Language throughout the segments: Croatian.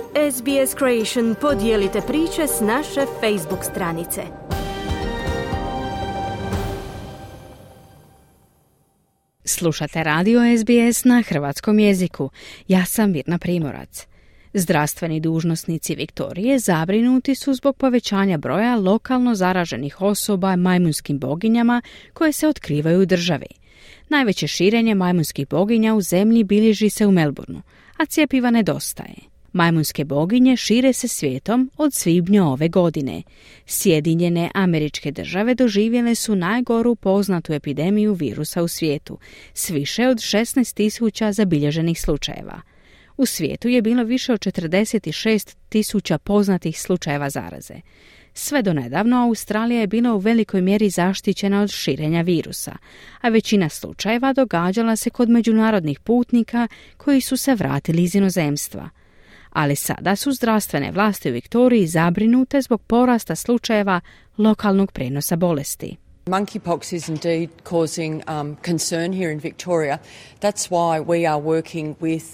SBS Creation podijelite priče s naše Facebook stranice. Slušate radio SBS na hrvatskom jeziku. Ja sam Mirna Primorac. Zdravstveni dužnosnici Viktorije zabrinuti su zbog povećanja broja lokalno zaraženih osoba majmunskim boginjama koje se otkrivaju u državi. Najveće širenje majmunskih boginja u zemlji bilježi se u Melbourneu, a cjepiva nedostaje. Majmunske boginje šire se svijetom od svibnja ove godine. Sjedinjene Američke Države doživjele su najgoru poznatu epidemiju virusa u svijetu, s više od 16.000 zabilježenih slučajeva. U svijetu je bilo više od 46.000 poznatih slučajeva zaraze. Sve do nedavno Australija je bila u velikoj mjeri zaštićena od širenja virusa, a većina slučajeva događala se kod međunarodnih putnika koji su se vratili iz inozemstva. Ali sada su zdravstvene vlasti u Viktoriji zabrinute zbog porasta slučajeva lokalnog prenosa bolesti. Monkeypox is indeed causing concern here in Victoria. That's why we are working with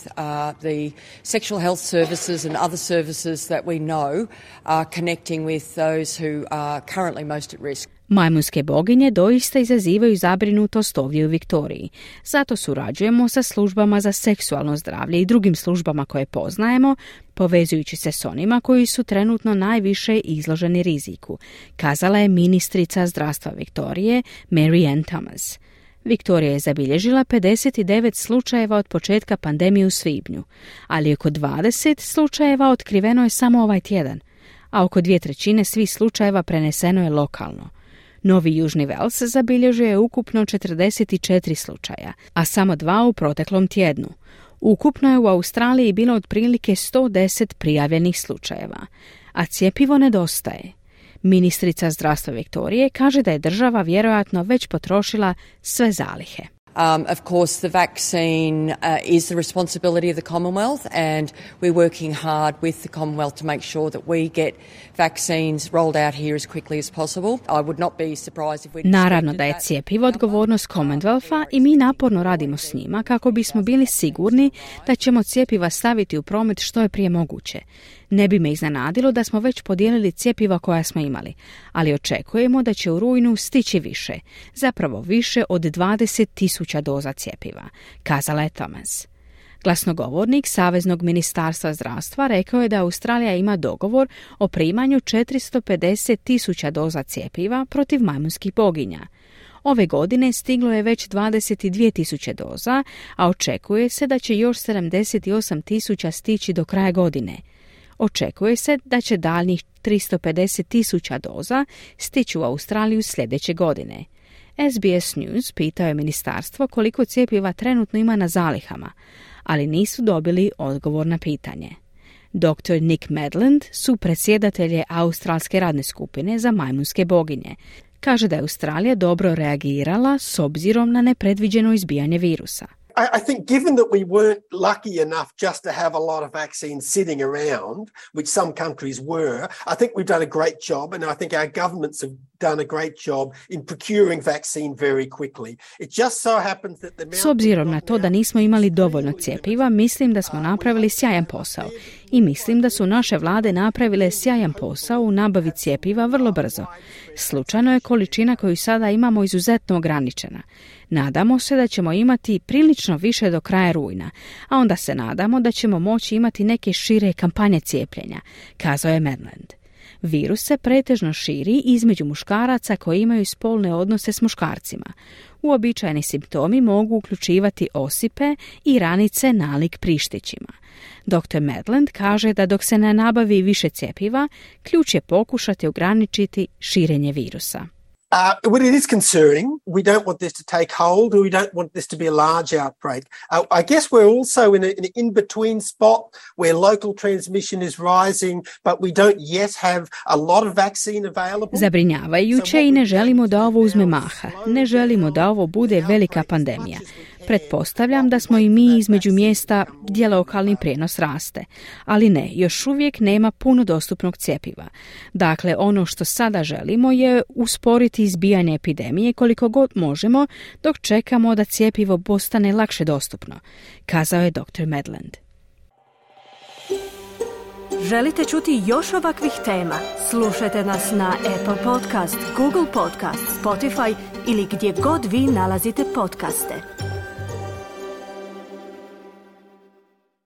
the sexual health services and other services that we know are connecting with those who are currently most at risk. Majmunske boginje doista izazivaju zabrinutost ovdje u Viktoriji. Zato surađujemo sa službama za seksualno zdravlje i drugim službama koje poznajemo, povezujući se s onima koji su trenutno najviše izloženi riziku, kazala je ministrica zdravstva Viktorije Mary Ann Thomas. Viktorija je zabilježila 59 slučajeva od početka pandemije u svibnju, ali oko 20 slučajeva otkriveno je samo ovaj tjedan, a oko 2/3 svih slučajeva preneseno je lokalno. Novi Južni Vels zabilježio je ukupno 44 slučaja, a samo 2 u proteklom tjednu. Ukupno je u Australiji bilo otprilike 110 prijavljenih slučajeva, a cjepivo nedostaje. Ministrica zdravstva Viktorije kaže da je država vjerojatno već potrošila sve zalihe. Of course, the vaccine is the responsibility of the Commonwealth, and we're working hard with the Commonwealth to make sure that we get vaccines rolled out here as quickly as possible. I would not be surprised if we... Naravno da je cjepivo odgovornost Commonwealtha i mi naporno radimo s njima kako bismo bili sigurni da ćemo cjepiva staviti u promet što je prije moguće. Ne bi me iznenadilo da smo već podijelili cjepiva koja smo imali, ali očekujemo da će u rujnu stići više, zapravo više od 20.000 doza cjepiva, kazala je Thomas. Glasnogovornik Saveznog ministarstva zdravstva rekao je da Australija ima dogovor o primanju 450.000 doza cjepiva protiv majmunskih boginja. Ove godine stiglo je već 22.000 doza, a očekuje se da će još 78.000 stići do kraja godine. Očekuje se da će daljnjih 350.000 doza stići u Australiju sljedeće godine. SBS News pitao je ministarstvo koliko cjepiva trenutno ima na zalihama, ali nisu dobili odgovor na pitanje. Dr. Nick Medland, supredsjedatelj Australske radne skupine za majmunske boginje, kaže da je Australija dobro reagirala s obzirom na nepredviđeno izbijanje virusa. I think given that we weren't lucky enough just to have a lot of vaccines sitting around, which some countries were, I think we've done a great job, and I think our governments have done a great job in procuring vaccine very quickly. It just so happens that the... S obzirom na to da nismo imali dovoljno cjepiva, mislim da smo napravili sjajan posao. I mislim da su naše vlade napravile sjajan posao u nabavi cjepiva vrlo brzo. Slučajno je količina koju sada imamo izuzetno ograničena. Nadamo se da ćemo imati prilično više do kraja rujna, a onda se nadamo da ćemo moći imati neke šire kampanje cijepljenja, kazao je Medland. Virus se pretežno širi između muškaraca koji imaju spolne odnose s muškarcima. Uobičajeni simptomi mogu uključivati osipe i ranice nalik prištićima. Dr. Medland kaže da dok se ne nabavi više cjepiva, ključ je pokušati ograničiti širenje virusa. Well, it is concerning. We don't want this to take hold, or we don't want this to be a large outbreak. I guess we're also in an in-between spot where local transmission is rising, but we don't yet have a lot of vaccine available. Zabrinjavajuće i ne želimo da ovo uzme maha. Ne želimo da ovo bude velika pandemija. Pretpostavljam da smo i mi između mjesta gdje lokalni prijenos raste, ali ne, još uvijek nema puno dostupnog cjepiva. Dakle, ono što sada želimo je usporiti izbijanje epidemije koliko god možemo dok čekamo da cjepivo postane lakše dostupno, kazao je dr. Medland. Želite čuti još ovakvih tema? Slušajte nas na Apple Podcast, Google Podcast, Spotify ili gdje god vi nalazite podcaste.